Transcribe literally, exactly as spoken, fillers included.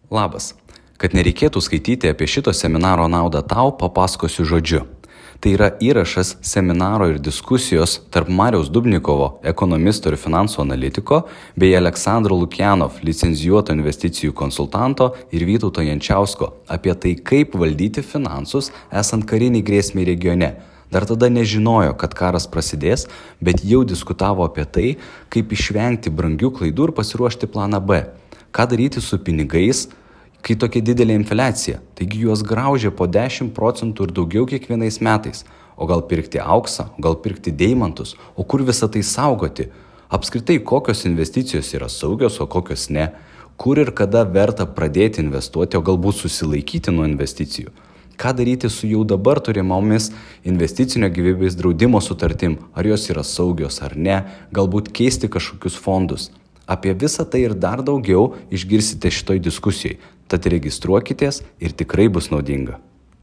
Labas. Kad nereikėtų skaityti apie šito seminaro naudą tau, papasakosiu žodžiu. Tai yra įrašas seminaro ir diskusijos tarp Mariaus Dubnikovo, ekonomisto ir finansų analitiko, bei Aleksandro Lukianov, licencijuoto investicijų konsultanto ir Vytauto Jančiausko apie tai, kaip valdyti finansus esant kariniai grėsmiai regione. Dar tada nežinojo, kad karas prasidės, bet jau diskutavo apie tai, kaip išvengti brangių klaidų ir pasiruošti planą B. Ką daryti su pinigais, kai tokia didelė infliacija, taigi juos graužia po dešimt procentų ir daugiau kiekvienais metais. O gal pirkti auksą, o gal pirkti deimantus, o kur visą tai saugoti? Apskritai, kokios investicijos yra saugios, o kokios ne? Kur ir kada verta pradėti investuoti, o galbūt susilaikyti nuo investicijų? Ką daryti su jau dabar turimomis investicinio gyvybės draudimo sutartim? Ar jos yra saugios ar ne? Galbūt keisti kažkokius fondus? Apie visą tai ir dar daugiau išgirsite šitoj diskusijai. Tad registruokitės ir tikrai bus naudinga.